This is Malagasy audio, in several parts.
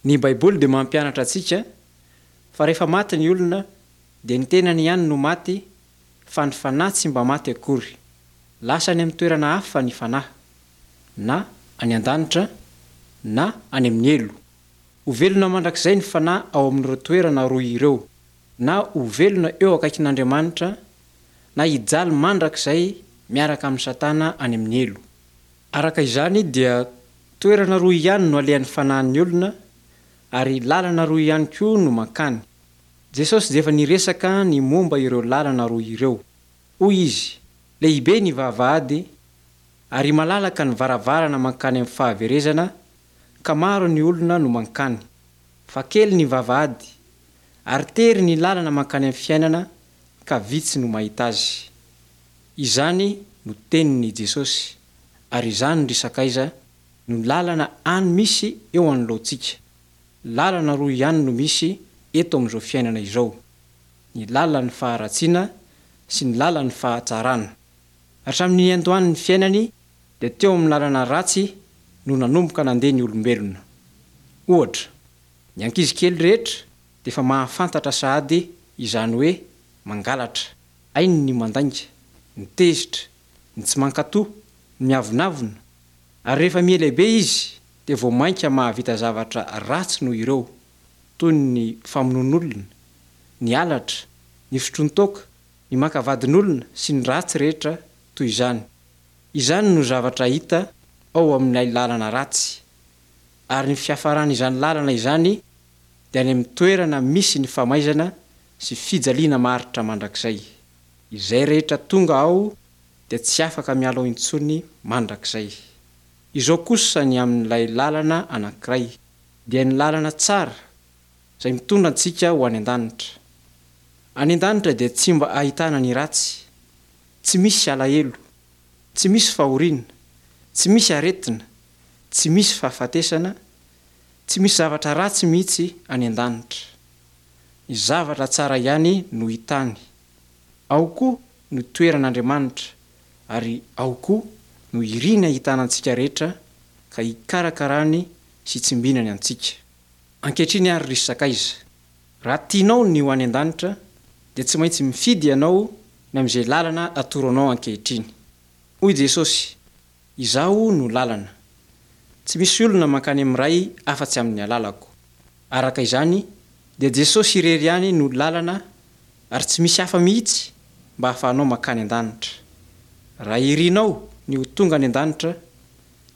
Ny Baiboly dia mampianatra antsika fa rehefa maty ny olona dia ny tenany ihany no maty fa ny fanahy tsy mba maty akory. Lasa any amin'ny toerana hafa ny fanahy, na any an-danitra na any amin'ny helo. Ho velona mandrakizay ny fanahy ao amin'ireo toerana roa ireo, na ho velona eo akaikin'Andriamanitra na hijaly mandrakizay miaraka amin'i Satana any amin'ny helo. Araka izany dia toerana roa ihany no alehan'ny fanahin'ny olona ary lalana roa ihany koa no mankany. Jesosy dia efa niresaka ny momba ireo lalana roa ireo. Hoy Izy, Lehibe ny vavahady ary malalaka ny varavarana mankany amin'ny fahaverezana ka maro ny olona no mankany. Fa kely ny vavahady ary tery ny lalana mankany amin'ny fiainana ka vitsy no mahita azy. Izany no tenin'i Jesosy, ary izany ry sakaiza no lalana any misy eo anoloantsika. Lalana roa ihany no misy eto amin'izao fiainana izao, ny lalan'ny faharatsiana sy ny lalan'ny fahatsarana. Hatramin'ny niandohan'ny fiainany dia teo amin'ny lalana ratsy no nanomboka nandeha ny olombelona. Ohatra, ny ankizy kely rehetra dia efa mahafantatra sahady izany hoe mangalatra. Hainy ny mandainga, ny tezitra, ny tsy mankatò, ny miavonavona, ary rehefa mihalehibe izy dia vao mainka mahavita zavatra ratsy noho ireo, toy ny famonoan'olona, ny halatra, ny fisotroan-toaka, ny maka vadin'olona sy ny ratsy rehetra toy izany. Izany no zavatra hita ao amin'ilay lalana ratsy, ary ny fiafaran'izany lalana izany dia any amin'ny toerana misy ny famaizana sy fijaliana maharitra mandrakizay. Izay rehetra tonga ao dia tsy afaka miala ao intsony mandrakizay. Izao kosa ny amin'ilay lalana anankiray, dia ny lalana tsara, izay mitondra antsika ho any an-danitra. Any an-danitra dia tsy mba ahitana ny ratsy, tsy misy alahelo, tsy misy fahoriana, tsy misy aretina, tsy misy fahafatesana, Tsy misy zavatra ratsy mihitsy any an-danitra. Ny zavatra tsara ihany no hita any. Ao koa no toeran'Andriamanitra, ary ao koa no iriny hahitana antsika rehetra ka hikarakarany sy hitsimbinany antsika. Ankehitriny àry ry sakaiza, raha tianao ny ho any an-danitra, dia tsy maintsy mifidy ianao ny amin'izay lalana atoro anao ankehitriny. Hoy Jesosy, Izaho no lalana. Tsy misy olona mankany amin'ny Ray afa-tsy amin'ny alalako. Araka izany, dia Jesosy irery ihany no lalana ary tsy misy hafa mihitsy mba hahafahanao mankany an-danitra. Raha irinao ny ho tonga any an-danitra,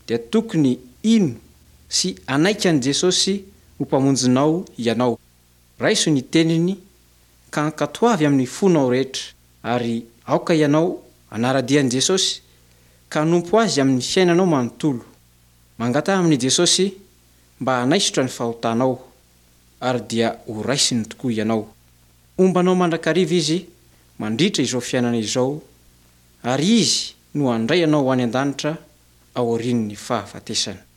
dia tokony hino sy hanaiky an'i Jesosy ho Mpamonjinao ianao. Raiso ny teniny ka ankatoavy amin'ny fonao rehetra, ary aoka ianao hanara-dia an'i Jesosy ka hanompo Azy amin'ny fiainanao manontolo. Mangataha amin'i Jesosy mba hanaisotra ny fahotanao, ary dia ho raisiny tokoa ianao. Homba anao mandrakariva Izy mandritra izao fiainana izao, ary Izy no handray anao ho any an-danitra aorian'ny fahafatesana.